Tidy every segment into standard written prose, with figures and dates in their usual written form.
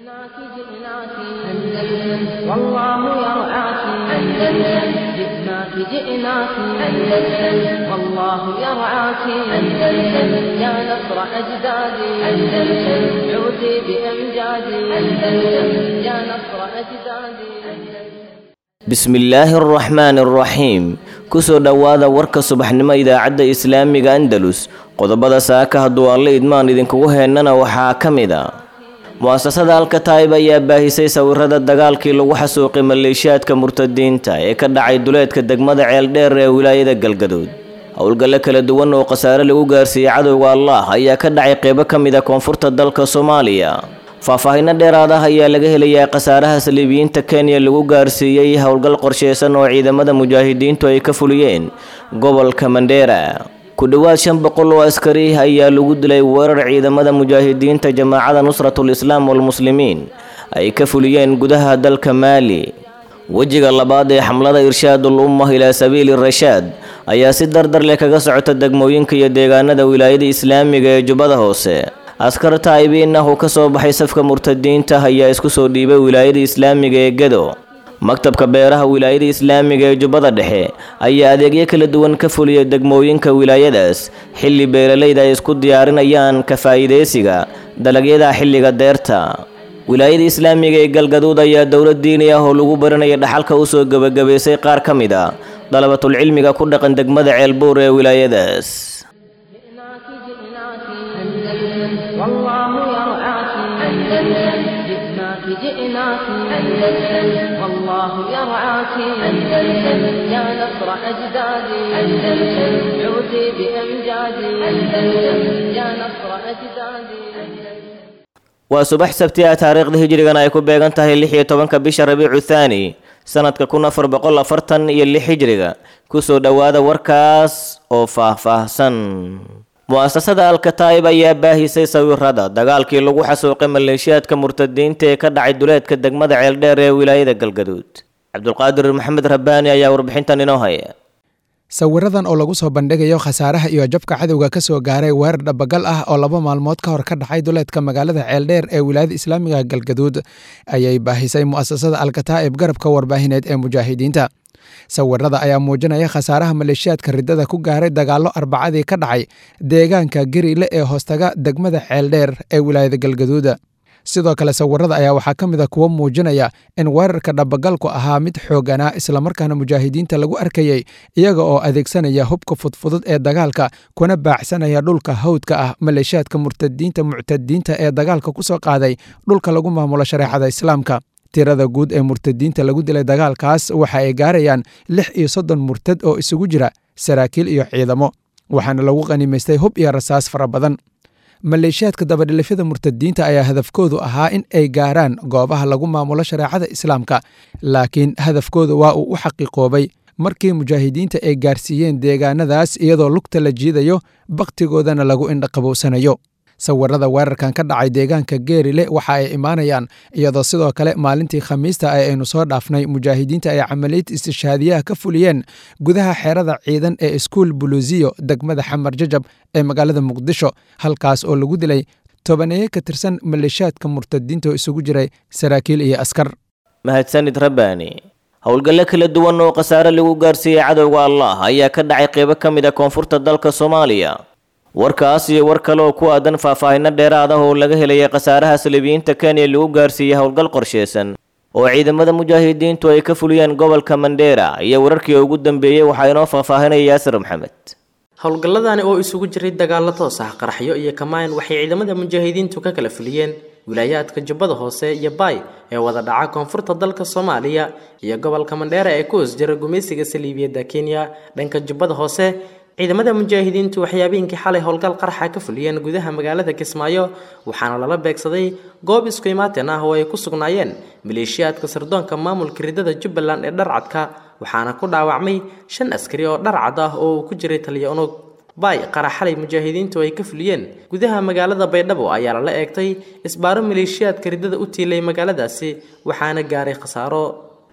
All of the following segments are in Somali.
جئناك جئناك أندلس والله يرعاك أندلس جئناك جئناك أندلس والله يرعاك أندلس يا نصر أجدادي أندلس عودي بأمجادي أندلس يا نصر أجدادي. Bismillaahi araxmaani araxiim. Kusoo dhowaada warka subaxnimo idaacadda Islaamiga Andalus. Qodobada saaka hadduu Alle idmaan idinkugu heennana waxaa ka mid a: Mu'asasada Alkataib ayaa baahisay sawirada dagaalkii lagu xasuuqay maleeshiyaadka murtadiinta ee ka dhacay duleedka degmada Ceeldheer ee wilaayada Galgaduud. Howlgallo kala duwan oo khasaare lagu gaarsiiyey cadowga Allah ayaa ka dhacay qeybo ka mid a koonfurta dalka Soomaaliya. Faahfaahinno dheeraad ah ayaa laga helayaa khasaaraha saliibiyiinta Kenya lagu gaarsiiyey howlgal qorsheysan oo ciidamada mujaahidiintu ay ka fuliyeen gobolka Mandheera. Ku dhowaad 500 oo askari ayaa lagu dilay weerar ciidamada mujaahidiinta Jamaacada Nusratul Islaam walMuslimiin ay ka fuliyeen gudaha dalka Maali. Wejiga labaad ee xamlada Irshaadul Ummah ilaa Sabiili Rashaad ayaa si dardar leh kaga socota degmooyinka iyo deegaanada wilaayada Islaamiga ee Jubbada Hoose. Askar taa'ibiin ah oo ka soo baxay safka murtadiinta ayaa isku soo dhiibay wilaayada Islaamiga ee Gedo. Maktabka beeraha wilaayada Islaamiga ee Jubbada Dhexe ayaa adeegyo kala duwan ka fuliyay degmooyinka wilaayadaas, xilli beeralayda ay isku diyaarinayaan ka faa'iidaysiga dalagyada xilliga deerta. Wilaayada Islaamiga ee Galgaduud ayaa dowlad diini ah oo lagu baranaya dhaxalka u soo gebagabaysay qaar ka mid a dalabatul cilmiga ku dhaqan degmada Ceelbuur ee wilaayadaas. جئناك جئناك أندلس والله يرعاك أندلس جئناك جئناك أندلس والله يرعاك أندلس يا نصر أجدادي أندلس عودي بأمجادي أندلس يا نصر أجدادي. Waa subax Sabti ah, taariikhda hijrigana ay ku beegan tahay 16-ka bisha Rabiicu Thaani, sanadka 1446 hijriga. Kusoo dhowaada warkaas oo faahfaahsan. Mu'asasada Alkataib ayaa baahisay sawirada dagaalkii lagu xasuuqay maleeshiyaadka murtadiinta ee ka dhacay duleedka degmada Ceeldheer ee wilaayada Galgaduud. Cabdulqaadir Maxamed Rabbaani ayaa warbixintan inoo haya. Sawiradan oo lagu soo bandhigayo khasaaraha iyo jabka cadowga ka soo gaaray weerar dhabagal ah oo 2 maalmood ka hor ka dhacay duleedka magaalada Ceeldheer ee wilaayada Islaamiga Galgaduud ayay baahisay mu'asasada Alkataa'ib, garabka warbaahineed ee mujaahidiinta. Sawirada ayaa muujinaya khasaaraha maleeshiyaadka riddada ku gaaray dagaallo Arbacadii ka dhacay deegaanka Geriile ee hoostaga degmada Ceeldheer ee wilaayada Galgaduud. Sidoo kale sawirada ayaa waxaa ka mid a kuwo muujinaya in weerarka dhabagalku ahaa mid xooganaa, islamarkaana mujaahidiinta lagu arkayey iyaga oo adeegsanaya hubka fudfudud ee dagaalka, kuna baacsanaya dhulka hawdka ah maleeshiyaadka murtadiinta muctadiinta ee dagaalka ku soo qaaday dhulka lagu maamulo shareecada Islaamka. Tirada guud ee murtadiinta lagu dilay dagaalkaas waxa ay gaarayaan 36 murtad oo isugu jira saraakiil iyo ciidamo, waxaana lagu qanimaystay hub iyo rasaas fara badan. Maleeshiyaadka dabadhilifyada murtadiinta ayaa hadafkoodu ahaa in ay gaaraan goobaha lagu maamulo shareecada Islaamka, laakiin hadafkoodu waa uu u xaqiiqoobay markii mujaahidiinta ay gaarsiiyeen deegaanadaas iyadoo lugta la jiidayo, bakhtigoodana lagu indhaqabowsanayo. Sawirada weerarkan ka dhacay deegaanka Geerile waxa ay imaanayaan iyadoo sidoo kale maalintii Khamiista ee aynu soo dhaafnay mujaahidiinta ay camaliyad istishaadiyaha ka fuliyeen gudaha xeerada ciidan ee Iskuul Buluusiyo, degmada Xamar Jajab ee magaalada Muqdisho, halkaas oo lagu dilay tobaneeye ka tirsan maleeshiyaadka murtadiinta oo isugu jiray saraakiil iyo askar. Mahadsanid Rabbaani. Howlgallo kala duwan oo khasaare lagu gaarsiiyey cadowga Allah ayaa ka dhacay qeybo ka mid a koonfurta dalka Soomaaliya. Warkaas iyo war kale oo ku aadan faahfaahinno dheeraad ah oo laga helaya khasaaraha saliibiyiinta Kenya lagu gaarsiiyey howlgal qorsheysan oo ciidamada mujaahidiintu ay ka fuliyeen gobolka Mandheera iyo wararkii ugu dambeeyey waxaa inoo faahfaahinaya Yaasir Maxamed. Howlgalladani oo isugu jiray dagaallo toos ah, qaraxyo iyo kamaan waxay ciidamada mujaahidiintu ka kala fuliyeen wilaayaadka Jubbada Hoose iyo Baay ee wada dhaca koonfurta dalka Soomaaliya iyo gobolka Mandheera ee ku hoos jira gumaysiga saliibiyadda Kenya. Dhanka Jubbada Hoose, ciidamada mujaahidiintu waxyaabihinkii xalay howlgal qarxa ka fuliyeen gudaha magaalada Kismaayo, waxaana lala beegsaday goob isku imaatin ah oo ay ku sugnaayeen maleeshiyaadka sirdoonka maamulka riddada Jubbaland ee dharcadka, waxaana ku dhaawacmay 5 askari oo dharcad ah oo uu ku jiray taliya unug. Baay, qarax xalay mujaahidiintu ay ka fuliyeen gudaha magaalada Baydhabo ayaa lala eegtay isbaaro maleeshiyaadka riddada u tiilay magaaladaasi, waxaana gaaray khasaaro.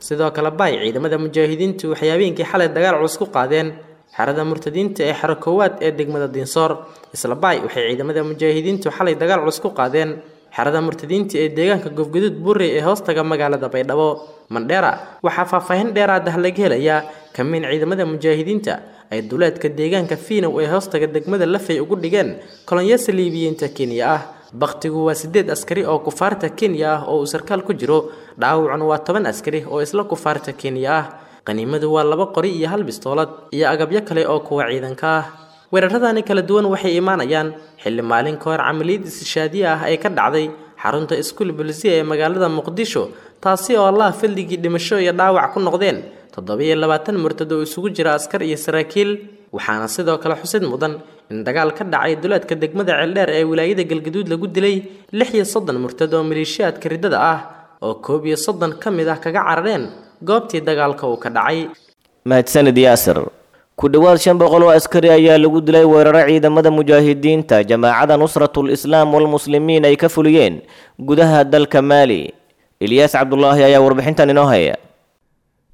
Sidoo kale Baay, ciidamada mujaahidiintu waxyaabihinkii xalay dagaal culus ku qaadeen xerada murtadiinta ee xero koowaad ee degmada Diinsoor. Isla Baay, waxay ciidamada mujaahidiintu xalay dagaal culus ku qaadeen Xerada murtadiinta ee deegaanka Goofgaduud Buurey ee hoostaga magaalada Baydhabo. Mandheera waxaa faahfaahin dheeraad ah laga helayaa kamiin ciidamada mujaahidiinta ay duleedka deegaanka Fiinow ee hoostaga degmada Lafey ugu dhigeen kolonyo saliibiyiinta Kenya ah. Bakhtigu waa 8 askari oo kufaarta Kenya ah oo uu sarkaal ku jiro, dhaawacuna waa 10 askari oo isla kufaarta Kenya ah. Qaniimadu waa 2 qori iyo 1 bistoolad iyo agabyo kale oo kuwa ciidanka ah. Weeraradani kala duwan waxay imaanayaan xilli maalin ka hor camaliyad istishaadiye ah ay ka dhacday xarunta iskuul bulisiya ee magaalada Muqdisho, taasi oo Allah fadligii dhimasho iyo dhaawac ku noqdeen 27 murtad oo isugu jira askar iyo saraakiil. Waxaana sidoo kale xusid mudan in dagaal ka dhacay duleedka degmada Ceeldheer ee wilaayada Galgaduud lagu dilay 36 murtad oo maleeshiyaadka riddada ah oo 31 ka mid ah kaga carareen goobtii dagaalka uu ka dhacay. Mahadsanid Yaasir. Ku dhowaad 500 oo askari ayaa lagu dilay weeraro ciidamada mujaahidiinta jamaacada Nusratul Islaam walMuslimiin ay ka fuliyeen gudaha dalka Maali. Ilyaas Cabdulaahi ayaa warbixintan inoo haya.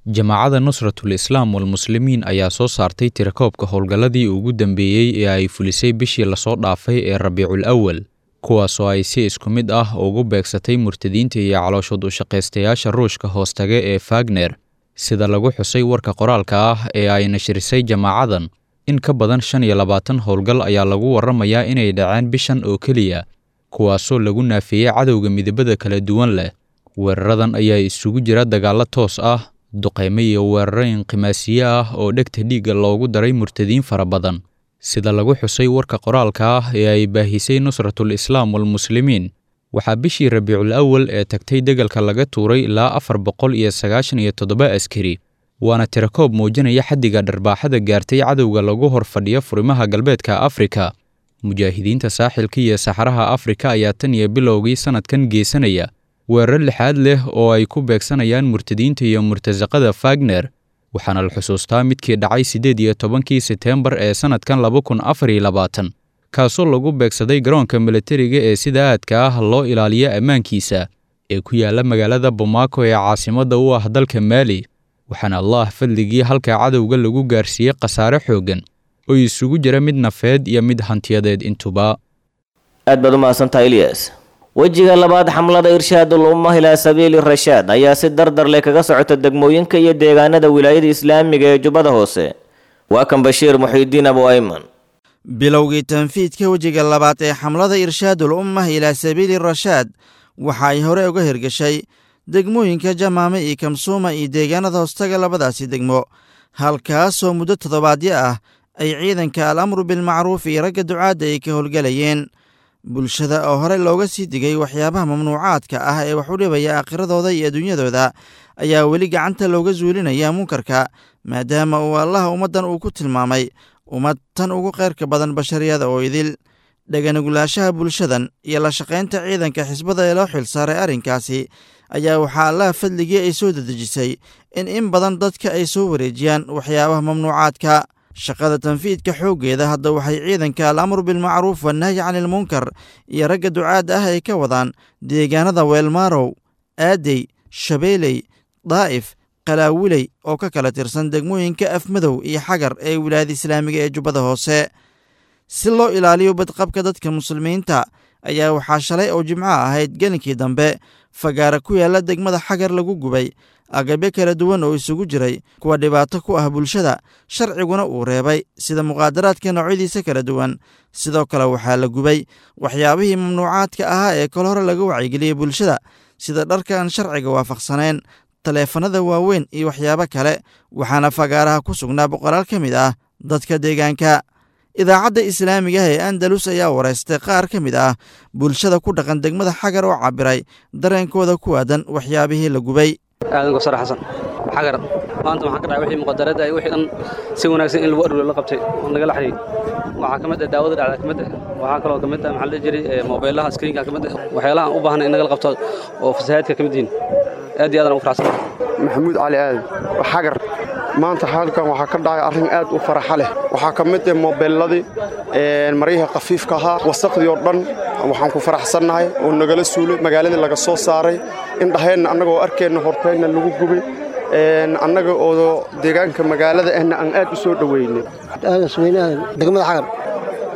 Jamaacada Nusratul Islaam walMuslimiin ayaa soo saartay tirakoobka howlgalladii ugu dambeeyey ee ay fulisay bishii lasoo dhaafay ee Rabiicul Awal, kuwaasoo ay si isku mid ah ugu beegsatay murtadiinta iyo calooshood u shaqaystayaasha Ruushka hoostaga ee Fagner. Sida lagu xusay warka qoraalka ah ee ay nashrisay jamaacadan, in ka badan 25 howlgal ayaa lagu warramayaa inay dhaceen bishan oo keliya, kuwaasoo lagu naafiyey cadowga midabada kala duwan leh. Weeraradan ayaa isugu jira dagaallo toos ah, duqeymo iyo weeraro inqimaasiye ah oo dhegta dhiigga loogu daray murtadiin fara badan. Sida lagu xusay warka qoraalka ah ee ay baahisay Nusratul Islaam walMuslimiin, waxaa bishii Rabiicul Awal ee tagtay degalka laga tuuray ilaa 497 askari, waana tirakoob muujinaya xaddiga dharbaaxada gaartay cadowga lagu hor fadhiyo furimaha galbeedka Afrika. Mujaahidiinta saaxilka iyo saxaraha Afrika ayaa tan iyo bilowgii sanadkan geysanaya weerar lixaad leh oo ay ku beegsanayaan murtadiinta iyo murtasaqada Fagner, waxaana la xusuustaa midkii dhacay 18kii Sebtembar ee sanadkan 2024, kaasoo lagu beegsaday garoonka militariga ee sida aadka ah loo ilaaliyo ammaankiisa ee ku yaala magaalada Bamako ee caasimadda u ah dalka Maali. Waxaana Allah fadligii halka cadowga lagu gaarsiiyey khasaare xooggan oo isugu jira mid nafeed iyo mid hantiyadeed intuba. Aad baad u mahadsantahay Ilyas. Wejiga labaad xamlada Irshaadul Ummah ilaa Sabiili Rashaad ayaa si dardar leh kaga socota degmooyinka iyo deegaanada wilaayada Islaamiga ee Jubbada Hoose. Waa kan Bashiir Muxiidiin Abu Ayman. Bilowgii tanfiidka wejiga labaad ee xamlada Irshaadul Ummah ilaa Sabiili Rashaad waxa ay hore uga hirgashay degmooyinka Jamaame iyo Kamsuuma iyo deegaanada hoostaga labadaasi degmo, halkaasoo muddo toddobaadyo ah ay ciidanka al-amru bilmacruuf iyo ragga ducaadda ay ka howlgalayeen. Bulshada oo hore looga sii digay waxyaabaha mamnuucaadka ah ee wax u dhibaya aakhiradooda iyo adduunyadooda ayaa weli gacanta looga zuulinaya munkarka, maadaama uu Allaha ummaddan uu ku tilmaamay ummad tan ugu khayrka badan bashariyada oo idil. Dhaganugulaashaha bulshadan iyo la shaqaynta ciidanka xisbada ee loo xilsaaray arrinkaasi ayaa waxaa Allaha fadligii ay soo dedejisay in badan dadka ay soo wareejiyaan waxyaabaha mamnuucaadka. Shaqada tanfiidka xooggeeda hadda waxay ciidanka al-amru bilmacruuf wannahyi canilmunkar iyo ragga ducaadda ah ay ka wadaan deegaanada Weelmaarow, Aadey, Shabeeley, Daa'if, Qalaawiley oo ka kala tirsan degmooyinka Afmadow iyo Xagar ee wilaayada Islaamiga ee Jubbada Hoose. Si loo ilaaliyo badqabka dadka muslimiinta ayaa waxaa shalay oo jimco ahayd gelinkii dambe fagaara ku yaalla degmada Xagar lagu gubay agabyo kala duwan oo isugu jiray kuwa dhibaato ku ah bulshada, sharciguna uu reebay sida muqaadaraadka noocyadiisa kala duwan. Sidoo kale waxaa la gubay waxyaabihii mamnuucaadka ahaa ee kol hore laga wacyigeliyey bulshada, sida dharka aan sharciga waafaqsanayn, taleefanada waaweyn iyo waxyaabo kale. Waxaana fagaaraha ku sugnaa boqolaal ka mid ah dadka deegaanka. Idaacadda Islaamiga ah ee Andalus ayaa wareystay qaar ka mid ah bulshada ku dhaqan degmada Xagar oo cabiray dareenkooda ku aadan waxyaabihii la gubay. Aadan Gosar Xasan Xagar. Maanta waxaan ka dhacay wixii muqadarada ay wixii dhan si wanaagsan in lagu aruuriyo la qabtay oo nagala xiriir. Waxaa ka mid ah daawada dhacda ka mid ah, waxaa kaloo ka mid ah maxaa la jiray moobeelaha screenka ka mid ah, waxyaalaha aan u baahnay in nagala qabto oo fasahaadka ka mid yihiin. Aad iyo aad aan ugu faraxsanahay. Maxamuud Cali Aadan Xagar. Maanta halkan waxaa ka dhacay arrin aad u faraxa leh. Waxaa ka mid ah moobeelladii, maryihii khafiifka ahaa, wasaqdii oo dhan. Waxaan ku faraxsannahay oo nagala suulay magaaladii laga soo saaray, indhaheenna annagoo arkeenna horteenna lagu gubay, annaga oo deegaanka magaalada ahna aan aad u soo dhoweynay. Aadan Suweyne Aadan, degmada Xagar.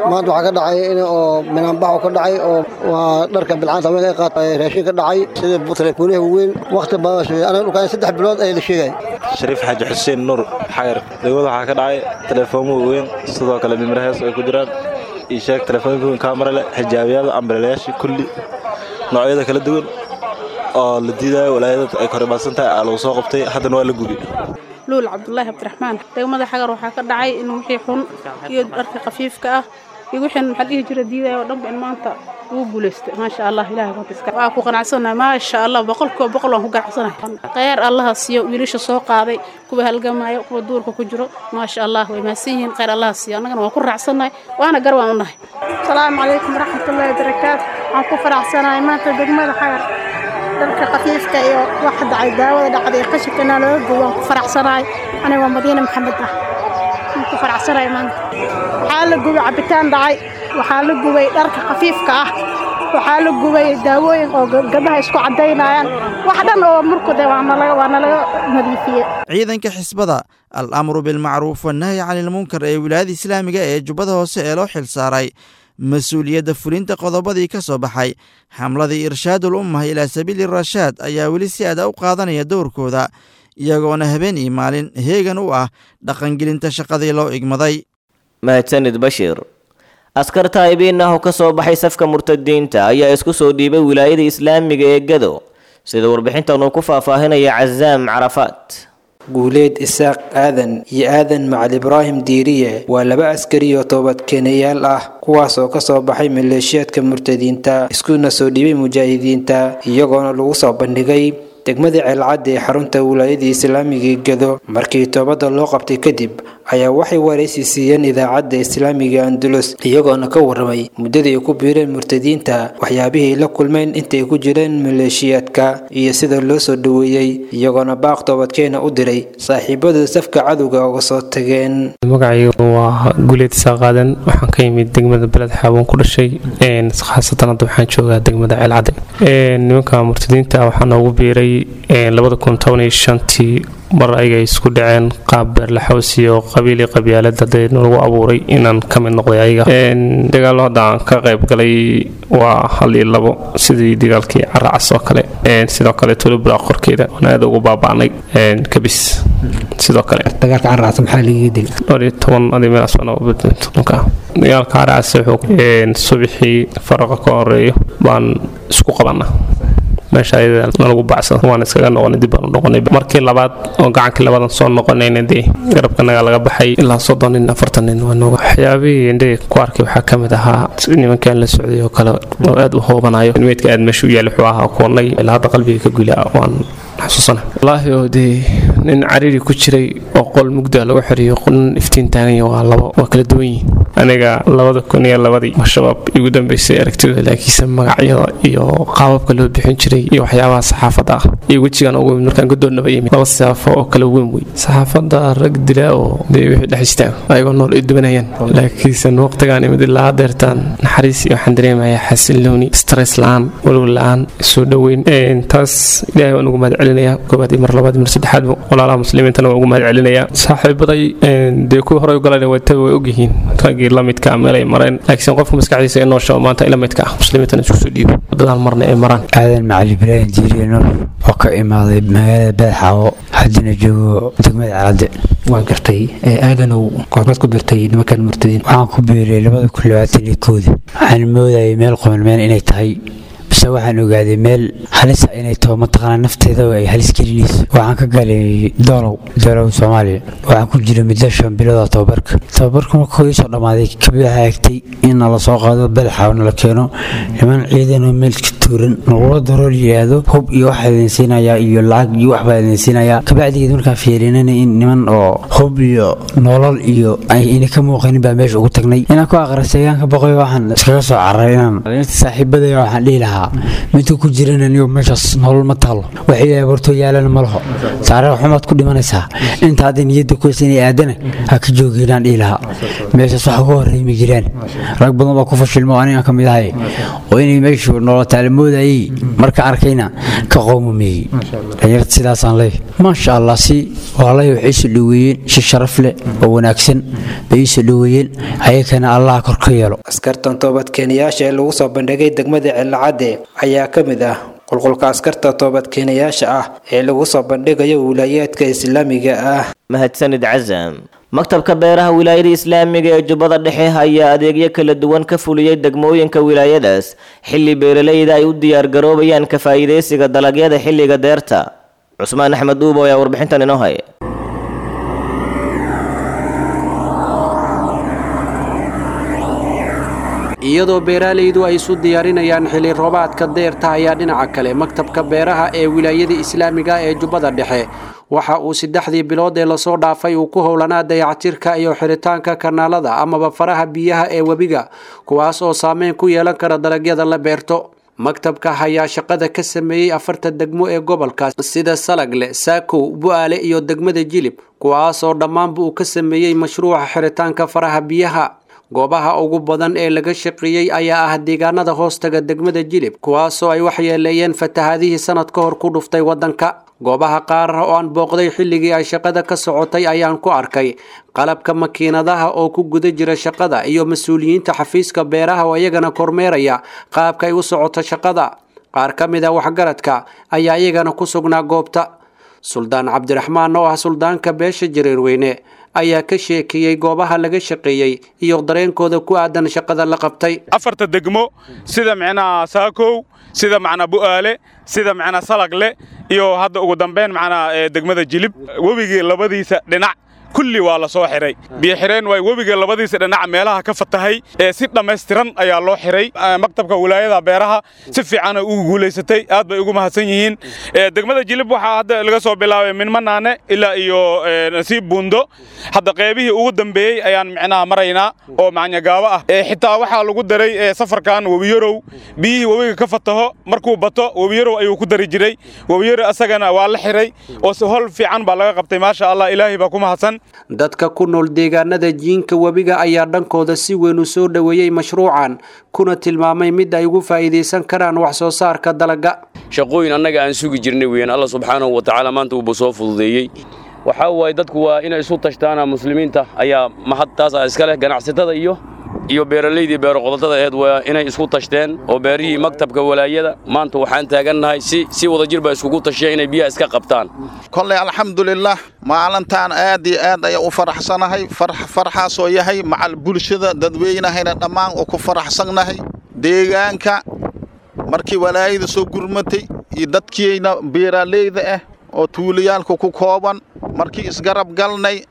Maanta waxaa ka dhacay in oo minaanbax ka dhacay oo waa dharka bilcaanta haweenka ay qaatay, raashin ka dhacay sida telefooniyaha waaweyn. Waqti badan sugay anaga dhulkaan 3 bilood ayaa la sheegay. Shariif Xaaji Xuseen Nuur, Xagar. Degmada waxaa ka dhacay teleefoomo waaweyn, sidoo kale mimrahees ay ku jiraan iyo sheeg telefoonka weyn, kaamara leh, xijaabiyada, ambrelayaasha, kulli noocyada kala duwan oo la diidayo walaayada ay korimaadsan tahay aa lagu soo qabtay, haddana waa la gubi. Luul Cabdulaahi Cabdiraxmaan. Degmada Xagar waxaa ka dhacay in wixii xun iyo dharka khafiifka ah iyo wixii maxaa dhihi jira diidaya oo dhanba in maanta ugu guulaystay, maasha Allah. Ilaahay ku waa ku qanacsanahay, maasha Allah, 100% waan ku ganacsanahay. Khayr Allaha siiyo wiilasha soo qaaday, kuwa halgamaya, kuwa duurka ku jiro, maasha Allah, way mahadsan yihiin. Khayr Allaha siiyo, annagana waan ku raacsanahay, waana gar waan u nahay. Asalaamu calaykum waraxmatullaahi wabarakaatu. Waxaan ku faraxsanahay maanta degmada Xagar dharka khafiifka iyo waxa dhacay, daawada dhacday iyo qashinka looga gubo, waan ku faraxsanahay. Aniga waa Madiina Maxamed ah, waan ku faraxsanahay maanta. Waxaa la gubay cabitaan dhacay, waxaa la gubay dharka khafiifka ah, waxaa la gubay daawooyin oo gabdhaha isku cadaynayaan, wax dhan oo murkude waa nalaga nadiifiyey. Ciidanka xisbada al-amru bilmacruuf wannahyi canilmunkar ee wilaayada islaamiga ee Jubbada Hoose ee loo xil saaray mas-uuliyadda fulinta qodobadii ka soo baxay xamladii Irshaadul Ummah ilaa sabiili rashaad ayaa weli si aada u qaadanaya dowrkooda, iyagoona habeen iyo maalin heegan u ah dhaqangelinta shaqadii loo igmaday. Mahadsanid Bashiir. Askar taa'ibiin ah oo ka soo baxay safka murtadiinta ayaa isku soo dhiibay wilaayada islaamiga ee Gado, sida warbixintan uu ku faahfaahinaya Cazaam Carafaat. Guuleed Isaaq Aadan iyo Aadan Macali Ibraahim Diiriye waa laba askari oo toobadkeenayaal ah, kuwaas oo kasoo baxay maleeshiyaadka murtadiinta iskuna soo dhiibay mujaahidiinta, iyagoona lagu soo bandhigay degmada Ceelcadda ee xarunta wilaayada islaamiga Gado. Markii toobadda loo qabtay kadib ayaa waxay waraysi siiyeen idaacadda islaamiga Andalus, iyagoona ka warramay muddadii ay ku biireen murtadiinta, waxyaabihii la kulmeen intay ku jireen maleeshiyaadka iyo sida loo soo dhoweeyey, iyagoona baaq toobadkeena u diray saaxiibada safka cadowga uga soo tageen. Magacaygu waa Guuleed Isaaqaadan, waxaan ka yimid degmada Beled Xaaboon ku dhashay, khaasatan hadda waxaan joogaa degmada Ceelcadde. Nimanka murtadiinta waxaa noogu biiray 2015-tii, mar ayaga isku dhaceen qaab beerlaxaws iyo qabiili qabyaalad hadee lagu abuuray inaan ka mid noqday ayaga. Dagaallo hadda aan ka qayb galay waa 1 iyo 2, sidii dagaalkii Caracas oo kale, sidoo kale Tulubra qorkeeda waan aad ugu baaba'nay kabis. Sidoo kale dagaalka Caracas maxaa lagaga dilay? Dhowr iyo toban adi meelaas baan. Dagaalka Caracas wuxuu subixii faraqa ka horeeyo baan isku qabanaa meesha ayada nalagu bacsada, waan iskaga noqonay, dib baan u noqonay. Markii labaad oo gacankii labaadan soo noqonayna dee garabkanaga laga baxay ilaa 30 nin 40 nin waa nooga. Waxyaabihii indhaga ku arkay waxaa ka mid ahaa nimankan la socday oo kale oo aad u hoobanayo, meydka aad meesha u yaali wuxuu ahaa kuwanay ilaa hadda qalbiga ka gula waan xasuusana wallaahi. Oo dee nin cariiri ku jiray oo qol mugda lagu xiriyo, nin iftiin taagan, waa labo, waa kala duwan yihiin. Aniga 2002-dii shabaab igu dambeysay aragtidooda, laakiinse magacyada iyo qaababka loo bixin jiray iyo waxyaabaha saxaafadda ah iyo wejigan ugu yimid markaan godoonnaba yimid laba siyaafo oo kala weyn wey. Saxaafadda rag dilaa oo dee wixii dhex istaago ayagoo nool ay dubanayaan, laakiinse waqtigaan imid ilaa hadeertaan naxariis iyo waxaan dareemayaa xasillooni, stress la-aan, walwal la-aan, soo dhoweyn. Taas ilaahay waan ugu mahad celinayaa koowaad iyo mar labaad iyo mar saddexaadba, walaalaha muslimiintana waan ugu mahad celinayaa. Saaxiibaday dee kuwii horey u galayna way way ogyihiin raggii la midka ah meel ay mareen, laakiin qofka maskaxdiisa ee noosha oo maanta ila midka ah muslimiintana isku soo dhiibo wadadaan marna ay maraan. Aadan Macali Ibraahim Diiriye Nuur oo ka imaaday magaalada Beedxaawo, haddana joogo degmada Celadde. Waan gartay. Aadanow, goormaad ku biirtay nimankan murtadiin? Waxaan ku biiray 2021-dii. Waxaan moodayay meel qoman meel inay tahay, base waxaan ogaaday meel halisa inay taho, mataqaanaa nafteeda ay halis gelinayso. Waxaan ka galay Doolow, Doolow Soomaaliya. Waxaan ku jiray muddo 5 bilood oo tababarka. Tababarka markuu ii soo dhammaaday kabid waxaa egtay in nala soo qaado Belxaaw, nala keeno niman ciidan oo meel ka tuuran, nagula daro la yidhaahdo hub iyo waxaa idin siinayaa iyo lacag iyo waxbaa idin siinayaa. Kabacdigeed markaan fiirinana in niman oo hub iyo nolol iyo ay ina ka muuqanin baa meesha ugu tagnay. Inaan ku aqrasayaan ka boqoy waxaan iskaga soo cararay inaan saaxiibadaya waxaan dhihi lahaa lahaa. Midka ku jirana niyo meeshaas nolol ma taalo, wax ilaahay hortoo yaalana ma laho, taariikh xumaad ku dhimanaysaa. Inta hadda niyadda ku haysa inay aadana ha ka jooginaan dhihi lahaa. Meeshaas wax uga horreey ma jiraan. Rag badan baa ku fashilmo, aniga ka mid ahay, oo inay meeshu nolol taalo moodayay, marka arkayna ka qowmameeyey. Dhalinyarta sidaasaan leeyahay, maasha allah, si walaalahay waxay isu dhoweeyeen si sharaf leh oo wanaagsan bay isu dhoweeyeen, ayakana allah kor ka yeelo. Askartan toobadkeenayaasha ee lagu soo bandhigay degmada Ceelcadde ayaa ka mid ah qulqulka askarta toobadkeenayaasha ah ee lagu soo bandhigayo wilaayaadka islaamiga ah. Mahadsanid Casam. Maktabka beeraha wilaayada islaamiga ee Jubbada Dhexe ayaa adeegyo kala duwan ka fuliyey degmooyinka wilaayadaas, xilli beeralayda ay u diyaargaroobayaan ka faa'iidaysiga dalagyada xilliga deerta. Cusmaan Axmed Dhuubo ayaa warbixintan inoo haya. Iyadoo beeraleydu ay isu diyaarinayaan xilli roobaadka deerta, ayaa dhinaca kale maktabka beeraha ee wilaayada islaamiga ee Jubbada Dhexe waxa uu 3dii bilood ee lasoo dhaafay uu ku howlanaa dayactirka iyo xiritaanka kanaalada amaba faraha biyaha ee webiga, kuwaas oo saameyn ku yeelan kara dalagyada la beerto. Maktabka ayaa shaqada ka sameeyey 4 degmo ee gobolka sida Salagle, Saakow, Bu'aale iyo degmada Jilib, kuwaas oo dhammaanba uu ka sameeyey mashruuca xiritaanka faraha biyaha. Goobaha ugu badan ee laga shaqeeyey ayaa ah deegaanada hoostaga degmada Jilib, kuwaasoo ay waxyeeleeyeen fatahaadihii sanad ka hor ku dhuftay waddanka. Goobaha qaar oo aan booqday xilligii ay shaqada ka socotay ayaan ku arkay qalabka makiinadaha oo ku guda jira shaqada iyo mas-uuliyiinta xafiiska beeraha oo iyagana kormeeraya qaabka ay u socoto shaqada. Qaar ka mid ah waxgaradka ayaa iyagana ku sugnaa goobta. Suldaan Cabdiraxmaan oo ah suldaanka beesha Jareerweyne ayaa ka sheekeeyey goobaha laga shaqeeyey iyo dareenkooda ku aadan shaqada la qabtay. 4ta degmo sida micnaha Saakow, sida macnaa Bu'aale, sida macnaa Salagle iyo hadda ugu dambeyn macnaa degmada Jilib, webigii labadiisa dhinac kulli waa la soo xiray. Biyo xireen waay webiga labadiisa dhinac meelaha ka fatahay ee si dhammaystiran ayaa loo xiray. Maktabka wilaayada beeraha si fiican ay ugu guulaysatay, aad bay ugu mahadsan yihiin. Degmada Jilib waxaa hadda laga soo bilaabay Minmanaane ilaa iyo Nasiib Buundo. Hadda qeybihii ugu dambeeyey ayaan micnaha maraynaa oo macnyagaabo ah. Xitaa waxaa lagu daray safarkan Webiyarow. Biyihii webiga ka fataho markuu bato Webiyarow ayuu ku dari jiray. Webiyarow asagana waa la xiray oo si hol fiican baa laga qabtay, maasha allah, ilaahay baa ku mahadsan. Dadka ku nool deegaanada jiinka webiga ayaa dhankooda si weyn u soo dhoweeyey mashruucan, kuna tilmaamay mid ay ugu faa'iidaysan karaan wax soo saarka dalagga. Shaqooyin annaga aan sugi jirnay weeyaan, Alla subxaanahu wa tacaala maanta uuba soo fududeeyey. Waxaa waaye dadku waa inay isu tashtaana, muslimiinta ayaa mahad taas iska leh, ganacsatada iyo beeralaydii beero qodotada aheed waa inay isku tashteen oo beerihii maktabka walaayada maanta waxaan taagannahay si wadajir baa iskugu tashiya inay biyaha iska qabtaan. Kolley alxamdulilah, maalintaan aad iyo aad ayaan u faraxsanahay, farxaasoo yahay macal bulshada dadweynahayna dhammaan oo ku faraxsannahay. Deegaanka markii walaayada soo gurmatay iyo dadkiina beeraleyda ah oo tuulayaalka ku kooban markii isgarab galnay,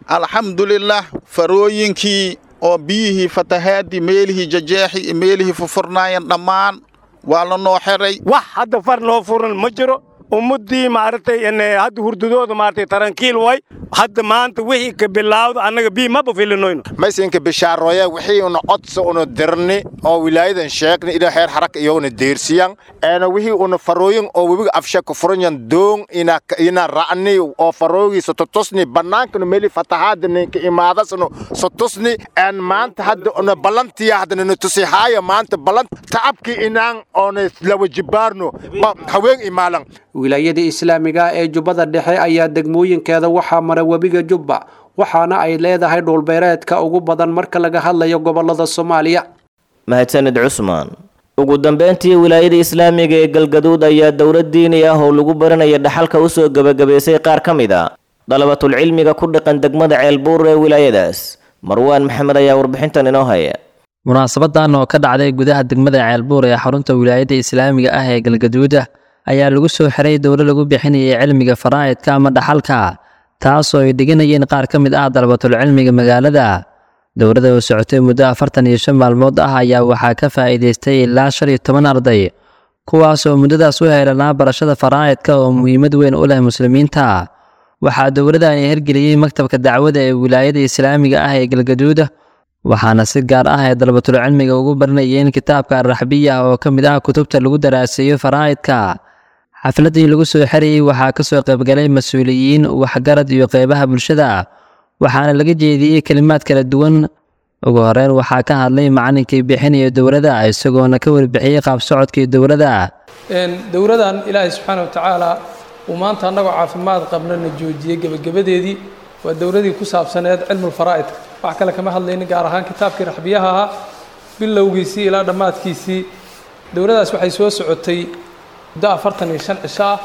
alxamdulilah, farooyinkii oo biyihii fatahaadii meelihii jajeexi iyo meelihii fufurnaayeen dhammaan waa la noo xiray. Wax hadda far noo furan ma jiro. Ummaddii maaragtay hadda hurdadooda maaragtay tarankiil way hadda maanta wixii ka bilaawda annaga bii maba filinoyno. Maysinka bishaaroye wixii una codsa una dirni oo wilaayadan sheegni ila heer xaraka iyaguna deersiyan eena wixii una farooyin oo webiga afsha ku furanyan doon ina ra'ni oo faroogiisa totosni bannaankana meeli fatahaadani ka imaadasno sotosni een maanta hadda una ballantiya haddana na tusihaaya maanta ballant tacabkii inaan oona lawa jibaarno haween imaalan. Wilaayada islaamiga ee Jubbada Dhexe ayaa degmooyinkeeda waxaa mara webiga Jubba, waxaana ay leedahay dhulbeereedka ugu badan marka laga hadlayo gobolada Soomaaliya. Mahadsanid Cusmaan. Ugu dambeyntii, wilaayada islaamiga ee Galgaduud ayaa dowlad diini ah oo lagu baranaya dhaxalka usoo gebagabaysay qaar ka mid a dalabatul cilmiga ku dhaqan degmada Ceelbuur ee wilaayadaas. Marwaan Maxamed ayaa warbixintan inoo haya. Munaasabadan oo ka dhacday gudaha degmada Ceelbuur ee xarunta wilaayada islaamiga ah ee Galgaduud ayaa lagu soo xiray dowlo lagu bixinayay cilmiga faraa'idka ama dhaxalka, taasoo ay dhiganayeen qaar ka mid ah dalabatul cilmiga magaalada. Dowladda oo socotay muddo 45 maalmood ah ayaa waxaa ka faa'iidaystay ilaa 15 arday, kuwaas oo muddadaas u heelanaa barashada faraa'idka oo muhiimad weyn u leh muslimiinta. Waxaa dowladani hirgeliyey maktabka dacwada ee wilaayada islaamiga ah ee Galgaduud, Waxaana si gaar ah ay dalabatul cilmiga ugu baranayeen kitaabka Arraxbiya oo ka mid ah kutubta lagu daraaseeyo faraa'idka. Xafladii lagu soo xirayay waxaa ka soo qaybgalay mas-uuliyiin, waxgarad iyo qeybaha bulshada, waxaana laga jeediyey kelimaad kala duwan. Ugu horeyn waxaa ka hadlay macalinkii bixinaya dowladda, isagoona ka warbixiyey qaab socodkii dowladda. Dowladan Ilaahay subxaana wa tacaala uu maanta annagoo caafimaad qabnana joojiyey gebagabadeedii waa dowladii ku saabsaneed cilmulfaraa'idka. Wax kale kama hadlaynin, gaar ahaan kitaabkii raxbiyaha ahaa bilowgiisii ilaa dhammaadkiisii. Dowladdaas waxay soo socotay muddo 45 cisho ah.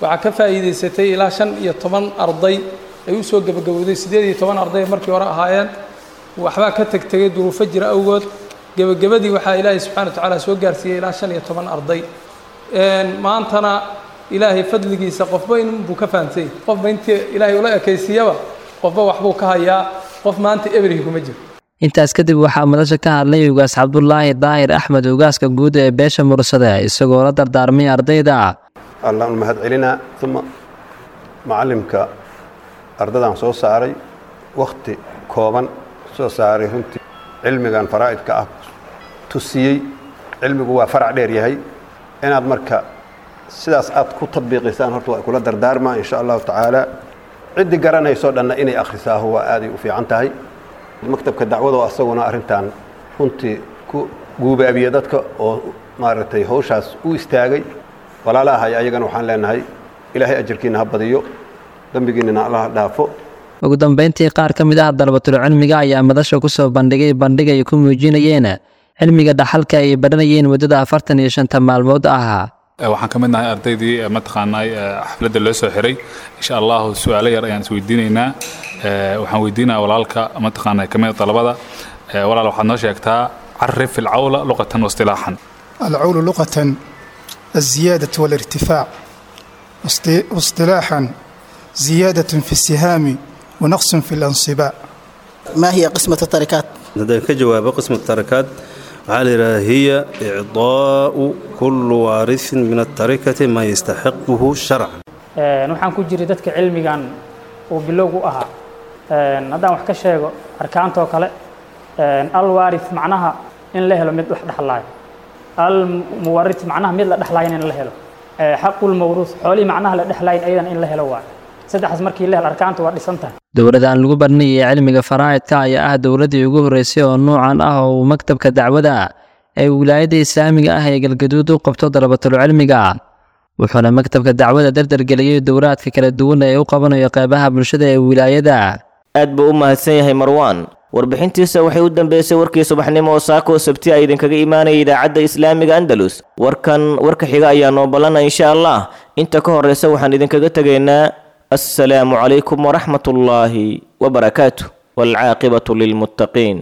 Waxaa ka faa'iidaysatay ilaa 15 arday ay u soo gebagabowday. 18 arday markii hore ahaayeen, waxbaa ka tegtegay duruufo jira awgood. Gebagabadii waxaa Ilaahay subxana wa tacaala soo gaarsiiyey ilaa 15 arday. Maantana Ilaahay fadligiisa qofba inbuu ka fahamsany, qofba intii Ilaahay ula ekaysiiyaba qofba waxbuu ka hayaa, qof maanta eberhi kuma jiro. Intaas kadib waxaa madasha ka hadlay Ugaas Cabdulaahi Daahir Axmed, ugaaska guud ee beesha Mursade, isagoo la dardaarmay ardayda. Allaan mahad celinaa, uma macalimka ardadan soo saaray wakhti kooban soo saaray, runtii cilmigan faraa'idka ah tusiyey. Cilmigu waa farac dheer yahay, inaad marka sidaas aad ku tadbiiqisaan horta waa kula dardaarmaa insha Allahu tacaala. Ciddii garanaysoo dhanna inay akhrisaahu waa aaday u fiican tahay. Maktabka dacwada oo asaguna arrintan runtii ku guubaabiya dadka oo maaragtay hawshaas u istaagay walaalahay, ayagana waxaan leenahay Ilaahay ajarkiina ha badiyo, dembigiinana Allah dhaafo. Ugu dambeyntii qaar ka mid ah dalabatul cilmiga ayaa madasha ku soo bandhigay bandhig ay ku muujinayeen cilmiga dhaxalka ay baranayeen muddada 45 maalmood ah. Waxaan ka mid nahay ardaydii mataqaanaa xafladda loo soo xiray. Insha Allahu su-aalo yar ayaan isweydiinaynaa. Waxaan weydiinayaa walaalka mataqaanaa ka mid dalabada. Walaal, waxaad noo sheegtaa carif alcawla luqatan waistilaaxan. العول لغة الزيادة والارتفاع، واصطلاحا زيادة في السهام ونقص في الأنصباء. ما هي قسمة التركات؟ haddaan ka jawaabo qisma tarakaat, waxaa la yidhaha hiya icdaa'u kullu waarisin min atarikati maa yastaxiquhu sharcan. Waxaan ku jiray dadka cilmigan uu bilowgu ahaa. Haddaan wax ka sheego arkaantoo kale, alwaarith macnaha in la helo mid wax dhexlaayo, almuwarith macnaha mid la dhexlaayo in la helo, xaqulmawruuth xoolihii macnaha la dhexlaayin ayadan in la helo. Waayo saddexdaas markii la helo arkaanta waa dhisan tahay. Dowladda aan lagu baranayay cilmiga faraa'idka ayaa ah dowladdii ugu horreysay oo nuucan ah oo uu maktabka dacwada ee wilaayadda islaamiga ah ee Galgaduud u qabto dalabatul cilmiga, wuxuuna maktabka dacwada dardargeliyey dowlaadka kala duwan ee u qabanayo qeybaha bulshada ee wilaayada. Aad buu u mahadsan yahay Marwaan. Warbixintiisa waxay u dambeysay warkii subaxnimo oo saako Sabti ay idinkaga imaanaya idaacadda islaamiga Andalus. Warkan warka xiga ayaa noo ballana insha Allah. Inta ka horeysa waxaan idinkaga tegaynaa assalaamu calaykum waraxmatullaahi wabarakaatu, waalcaaqibatu lilmuttaqiin.